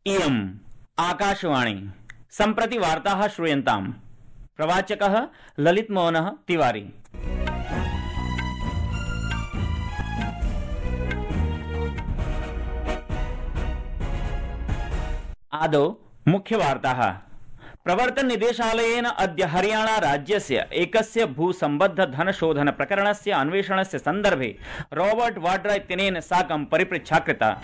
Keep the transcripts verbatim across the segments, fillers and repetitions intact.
इयम् आकाशवाणी सम्प्रति वार्ताः श्रूयन्ताम्। प्रवाचकः ललित मोहनः तिवारी। आदौ मुख्यवार्ताः। प्रवर्तन निदेशालयेन अद्य हरियाणा राज्यस्य एकस्य भूसम्बद्ध धनशोधन प्रकरणस्य अन्वेषणस्य सन्दर्भे रॉबर्ट वाड्रा इत्यनेन साकं परिपृच्छा कृता।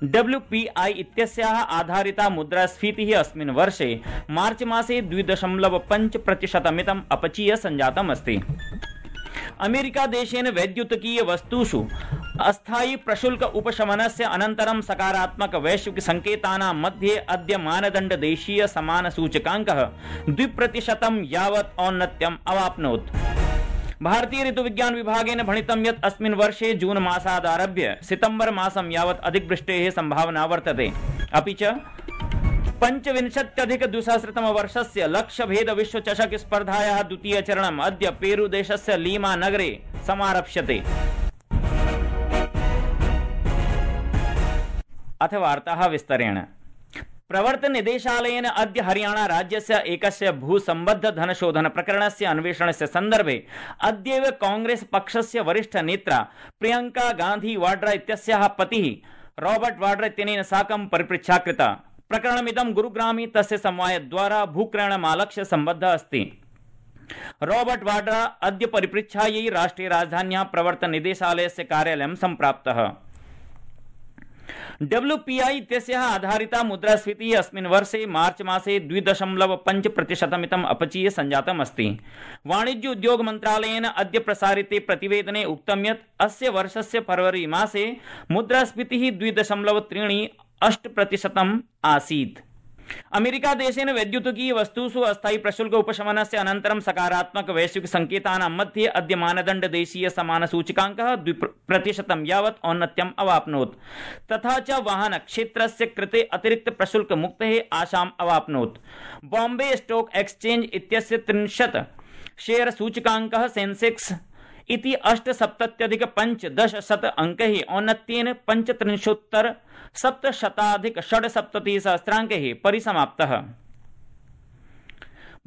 डब्ल्यू पी आई इत्यस्याः आधारिता मुद्रास्फीतिः अस्मिन् वर्षे मार्च मासे द्वि दशमलव पञ्च प्रतिशतमितम् अपचीय सञ्जातम् अस्ति। अमेरिका देशेन वैद्युतिकीय वस्तुषु अस्थायी प्रशुल्क उपशमनस्य अनन्तरं सकारात्मक वैश्विक संकेतानां मध्ये अद्य मानदण्ड देशीय समान सूचकाङ्कः द्वि प्रतिशतं यावत् औन्नत्यम् अवाप्नोत्। भारतीय ऋतुविज्ञान विभागेन भणितं यत् अस्मिन् वर्षे जून मासादारभ्य सितंबर मासं यावत् अधिकवृष्टेः संभावना वर्तते। अपि च पञ्चविंशत्यधिक द्विसहस्रतमवर्षस्य लक्ष्यभेद विश्वचषक स्पर्धायाः द्वितीयचरणम् अद्य पेरू देशस्य लीमा नगरे समारप्स्यते। अथ वार्ताः विस्तरेण। प्रवर्तन निदेशालयेन अद्य हरियाणा राज्यस्य एकस्य भूसम्बद्ध धनशोधन प्रकरणस्य अन्वेषणस्य सन्दर्भे अद्यैव कांग्रेस पक्षस्य वरिष्ठ नेत्रा प्रियंका गांधी वाड्रा इत्यस्याः पतिः रॉबर्ट वाड्रा इत्यनेन साकं परिपृच्छा कृता। प्रकरणमिदं गुरुग्रामे तस्य समवायद्वारा भूक्रयणमालक्ष्य सम्बद्धः अस्ति। रॉबर्ट वाड्रा अद्य परिपृच्छायै राष्ट्रिय राजधान्याः प्रवर्तन निदेशालयस्य कार्यालयं सम्प्राप्तः। डब्ल्यू पी आई इत्यस्याः आधारिता मुद्रास्फीतिः अस्मिन् वर्षे मार्च मासे द्वि दशमलव पञ्च प्रतिशतमितम् अपचीय सञ्जातम् अस्ति। वाणिज्य उद्योग मन्त्रालयेन अद्य प्रसारिते प्रतिवेदने उक्तं यत् अस्य वर्षस्य फरवरी मासे मुद्रास्फीतिः द्वि दशमलव त्रीणि अष्ट प्रतिशतम् आसीत्। अमेरिका देशेन वैद्युतिकीय वस्तुषु अस्थायी प्रशुल्क उपशमनस्य अनन्तरं सकारात्मक वैश्विक संकेतानां मध्ये अद्य मानदण्ड देशीय समान सूचकाङ्कः द्वि प्रतिशतं यावत् औन्नत्यम् अवाप्नोत्। तथा च वाहन क्षेत्रस्य कृते अतिरिक्त प्रशुल्क मुक्तेः आशाम् अवाप्नोत्। बॉम्बे स्टॉक एक्सचेंज इत्यस्य त्रिंशत् शेयर सूचकाङ्कः सेंसेक्स इति अष्टसप्तत्यधिक पञ्चदशशत अंकैः औन्नत्येन पञ्चत्रिंशोत्तर सप्तशताधिक षड्सप्ततिः सहस्राङ्कैः परिसमाप्तः।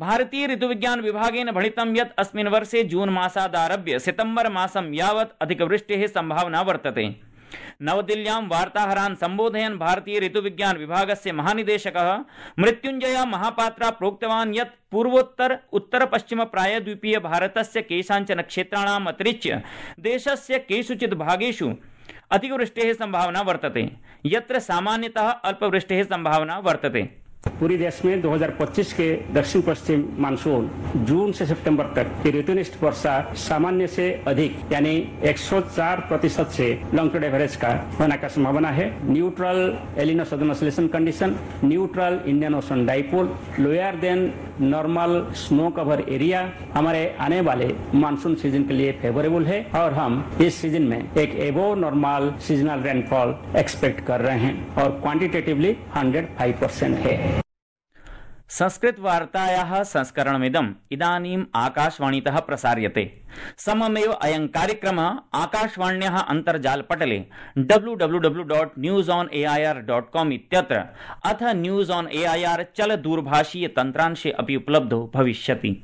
भारतीय ऋतुविज्ञान विभागेन भणितं यत् अस्मिन् वर्षे जून मासादारभ्य सितंबर मासं यावत् अधिकवृष्टेः संभावना वर्तते। नवदिल्ल्यां वार्ताहरान् सम्बोधयन् भारतीय ऋतुविज्ञान विभागस्य महानिदेशकः मृत्युञ्जय महापात्रा प्रोक्तवान् यत् पूर्वोत्तर उत्तर पश्चिम प्रायद्वीपीय भारतस्य केषाञ्चन क्षेत्राणाम् अतिरिच्य देशस्य केषुचित् भागेषु अधिकवृष्टेः संभावना वर्तते, यत्र सामान्यतः अल्पवृष्टेः संभावना वर्तते। पूरी देश में दो हज़ार पच्चीस के दक्षिण पश्चिम मानसून जून से सितंबर तक की ऋतुनिष्ठ वर्षा सामान्य से अधिक यानी एक सौ चार प्रतिशत से लॉन्ग टर्म एवरेज का होने का संभावना है। Neutral El Nino southern oscillation condition, neutral Indian ocean dipole, lower than normal snow cover area हमारे आने वाले मानसून सीजन के लिए फेवरेबल है और हम इस सीजन में एक एबो नॉर्मल सीजनल रेनफॉल एक्सपेक्ट कर रहे हैं और क्वांटिटेटिवली एक सौ पाँच परसेंट है। संस्कृत वार्तायाः संस्करणमिदम् इदानीम् आकाशवाणीतः प्रसार्यते। सममेव अयं कार्यक्रमः आकाशवाण्याः अन्तर्जालपटले W W W dot news on A I R dot com इत्यत्र अथ news on A I R चल दूरभाषीय तन्त्रांशे अपि उपलब्धो भविष्यति।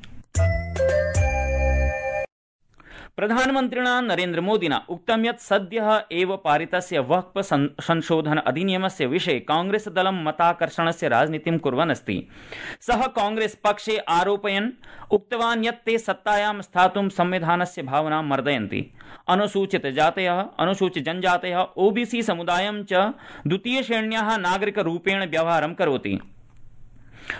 प्रधानमन्त्रिणा नरेन्द्र मोदिना उक्तं यत् सद्यः एव पारितस्य वक्फ संशोधन अधिनियमस्य विषये कांग्रेस दलं मताकर्षणस्य राजनीतिं कुर्वन् अस्ति। सः कांग्रेस पक्षे आरोपयन् उक्तवान् यत् ते सत्तायां स्थातुं संविधानस्य भावनां मर्दयन्ति। अनुसूचित जातयः, अनुसूचित जनजातयः, ओबीसी समुदायं च द्वितीय श्रेण्याः नागरिकरूपेण व्यवहारं करोति।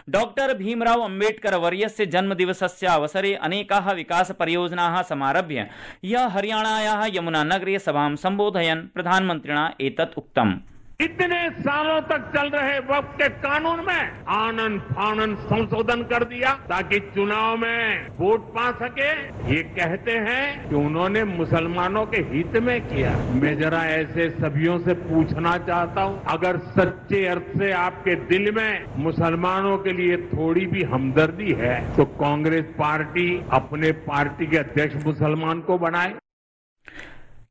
डॉक्टर भीमराव अम्बेडकर वर्यस्य जन्मदिवसस्य अवसरे अनेकाः विकास परियोजनाः समारभ्य ह्यः हरियाणायाः यमुनानगरे सभां सम्बोधयन् प्रधानमन्त्रिणा एतत् उक्तम्। इतने सालों तक चल रहे वक्फ के कानून में आनन फानन संशोधन कर दिया ताकि चुनाव में वोट पा सके। ये कहते हैं कि उन्होंने मुसलमानों के हित में किया। मैं जरा ऐसे सभियों से पूछना चाहता हूं, अगर सच्चे अर्थ से आपके दिल में मुसलमानों के लिए थोड़ी भी हमदर्दी है तो कांग्रेस पार्टी अपने पार्टी के अध्यक्ष मुसलमान को बनाए।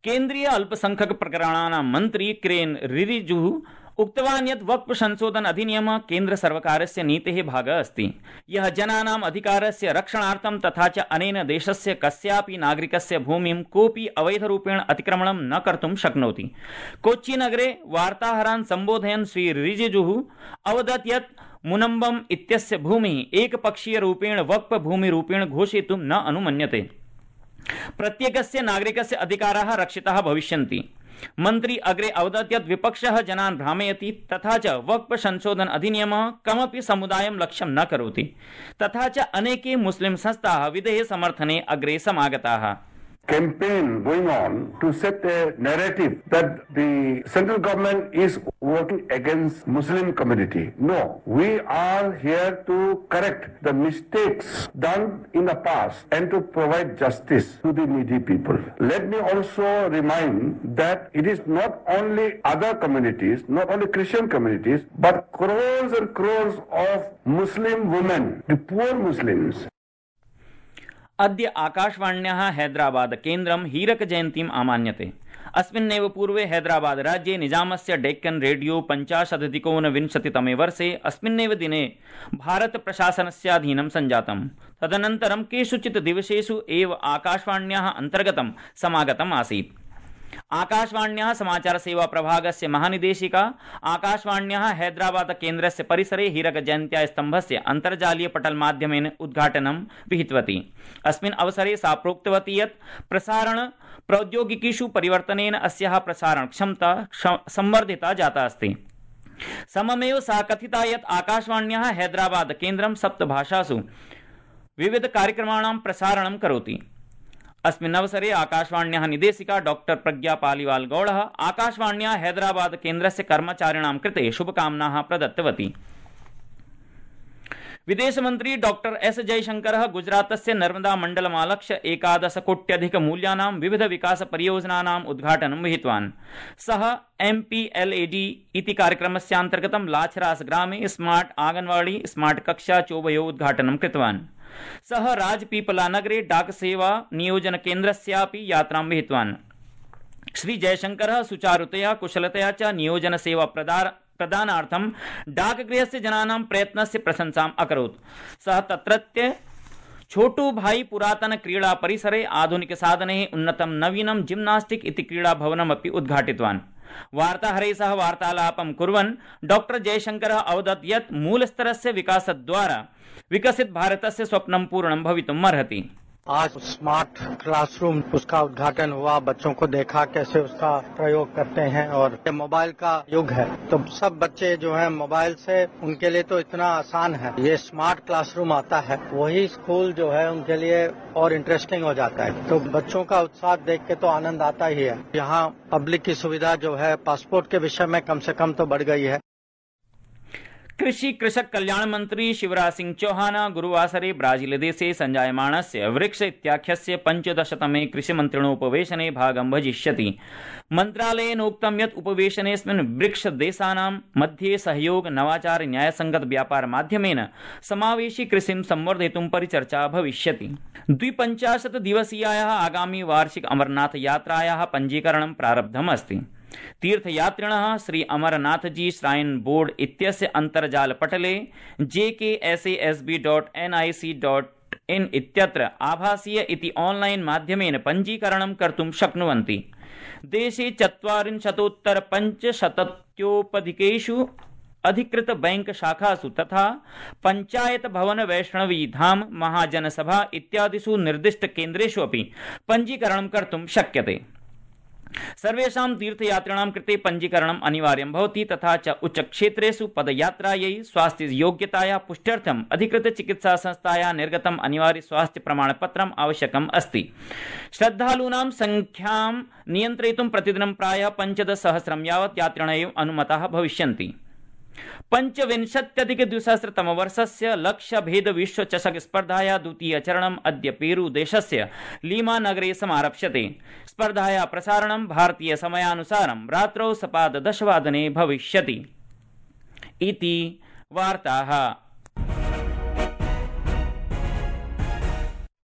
केन्द्रीय अल्पसंख्यक प्रकरणानां मंत्री किरेन रिजिजू उक्तवान् यत् वक्फ संशोधन अधिनियम केन्द्र सर्वकारस्य नीतेः भागः अस्ति, यः जनानाम् अधिकारस्य रक्षणार्थं तथा च अनेन देशस्य कस्यापि नागरिकस्य भूमिं कोऽपि अवैधरूपेण अतिक्रमणं न कर्तुं शक्नोति। कोच्चिनगरे वार्ताहरान् सम्बोधयन् श्री रिजिजुः अवदत् यत् मुनम्बम इत्यस्य भूमिः एकपक्षीयरूपेण वक्फ भूमिरूपेण घोषयितुं न अनुमन्यते। प्रत्येकस्य नागरिकस्य अधिकाराः रक्षिताः भविष्यन्ति। मन्त्री अग्रे अवदत् यत् विपक्षः जनान् भ्रामयति तथा च वक्फ संशोधन अधिनियमः कमपि समुदायं लक्ष्यं न करोति। तथा च अनेके मुस्लिम संस्थाः विधेः समर्थने अग्रे समागताः। Campaign going on to set a narrative that the central government is working against Muslim community. No, we are here to correct the mistakes done in the past and to provide justice to the needy people. Let me also remind that it is not only other communities, not only Christian communities, but crores and crores of Muslim women, the poor Muslims. अद्य आकाशवाण्याः हैदराबाद केन्द्रं हीरक जयन्तीम् आमान्यते। अस्मिन्नेव पूर्वे हैदराबाद राज्ये निजामस्य Deccan radio पञ्चाशदधिकोनविंशतितमे वर्षे अस्मिन्नेव दिने भारत प्रशासनस्याधीनं सञ्जातम्। तदनन्तरं केषुचित् दिवसेषु एव आकाशवाण्याः अन्तर्गतं समागतम् आसीत्। आकाशवाण्याः समाचार सेवा प्रभागस्य महानिदेशिका आकाशवाण्याः हैदराबाद केन्द्रस्य परिसरे हीरक जयन्त्या स्तम्भस्य अन्तर्जालीय पटल माध्यमेन उद्घाटनं विहितवती। अस्मिन् अवसरे सा प्रोक्तवती यत् प्रसारण प्रौद्योगिकीषु परिवर्तनेन अस्याः प्रसारण क्षमता संवर्धिता जाता अस्ति। सममेव सा कथिता यत् आकाशवाण्याः हैदराबाद केन्द्रं सप्तभाषासु विविध कार्यक्रमाणां प्रसारणं करोति। अस्मिन् अवसरे आकाशवाण्याः निदेशिका डॉक्टर प्रज्ञा पालिवाल गौड़ः आकाशवाण्याः हैदराबाद केन्द्रस्य कर्मचारिणां कृते शुभकामनाः प्रदत्तवती। विदेशमन्त्री डॉक्टर एस जयशंकरः गुजरातस्य नर्मदा मण्डलमालक्ष्य एकादश कोट्यधिक मूल्यानां विविध विकास परियोजनानाम् उद्घाटनं विहितवान्। सः M P L A D इति कार्यक्रमस्यान्तर्गतं लाछरास ग्रामे स्मार्ट आंगनवाड़ी स्मार्ट कक्षा चोभयोः उद्घाटनं कृतवान्। सः राजपीपला नगरे डाक सेवा नियोजन केन्द्रस्यापि यात्रां विहितवान्। श्री जयशंकरः सुचारुतया कुशलतया च नियोजन सेवा प्रदानार्थं डाकगृहस्य जनानां प्रयत्नस्य प्रशंसाम् अकरोत्। सः तत्रत्य छोटू भाई पुरातन क्रीडा परिसरे आधुनिक साधनैः उन्नतं नवीनं जिम्नास्टिक इति क्रीडा भवनमपि उद्घाटितवान्। वार्ताहरैः सह वार्तालापं कुर्वन् डॉक्टर जयशंकरः अवदत् यत् मूलस्तरस्य विकासद्वारा विकसित भारतस्य स्वप्नं पूर्णं भवितुमर्हति। आज स्मार्ट क्लासरूम उसका उद्घाटन हुआ, बच्चों को देखा कैसे उसका प्रयोग करते हैं और ये मोबाइल का युग है तो सब बच्चे जो हैं मोबाइल से उनके लिए तो इतना आसान है। ये स्मार्ट क्लासरूम आता है वही स्कूल जो है उनके लिए और इंटरेस्टिंग हो जाता है। तो बच्चों का उत्साह देख के तो आनंद आता ही है। यहाँ पब्लिक की सुविधा जो है पासपोर्ट के विषय में कम से कम तो बढ़ गई है। कृषि कृषक कल्याण मंत्री शिवराज सिंह चौहान गुरुवासरे ब्राजीलदेशे संजायमाणस्य ब्रिक्स इत्याख्यस्य पञ्चदशतमे कृषिमन्त्रिणोपवेशने भागं भजिष्यति। मन्त्रालयेनोक्तं यत् उपवेशनेऽस्मिन् ब्रिक्स देशानां मध्ये सहयोग नवाचार न्यायसंगत व्यापार माध्यमेन समावेशी कृषिं संवर्धयितुं परिचर्चा भविष्यति। द्विपञ्चाशत् दिवसीयायाः आगामी वार्षिक अमरनाथ यात्रायाः पञ्जीकरणं प्रारब्धम् अस्ति। तीर्थयात्रिणः श्री अमरनाथजी श्राइन बोर्ड इत्यस्य अन्तर्जाल पटले J K S A S B dot N I C dot in इत्यत्र आभासीय इति ऑनलाइन माध्यमेन पञ्जीकरणं कर्तुं शक्नुवन्ति। देशे चत्वारिंशतोत्तर पञ्चशतोपधिकेषु अधिकृत बैंक शाखासु तथा पंचायत भवन वैष्णवी धाम महाजनसभा इत्यादिषु निर्दिष्ट केन्द्रेषु अपि पञ्जीकरणं कर्तुं शक्यते। सर्वेषां तीर्थयात्रिणां कृते पञ्जीकरणम् अनिवार्यं भवति तथा च उच्चक्षेत्रेषु पदयात्रायै स्वास्थ्य योग्यतायाः पुष्ट्यर्थम् अधिकृत चिकित्सा संस्थायाः निर्गतम् अनिवार्य स्वास्थ्य प्रमाणपत्रम् आवश्यकम् अस्ति। श्रद्धालूनां संख्यां नियन्त्रयितुं प्रतिदिनं प्रायः पञ्चदशसहस्रं यावत् यात्रिणः अनुमताः भविष्यन्ति। पंचविंशत्यधिक द्विसहस्रतमवर्षस्य लक्ष्यभेद विश्व चषक स्पर्धायाः द्वितीय चरणम् अद्य पेरू देशस्य लीमा नगरे समारप्स्यते। स्पर्धायाः प्रसारणं भारतीय समयानुसारं रात्रौ सपाददशवादने भविष्यति। इति वार्ताः।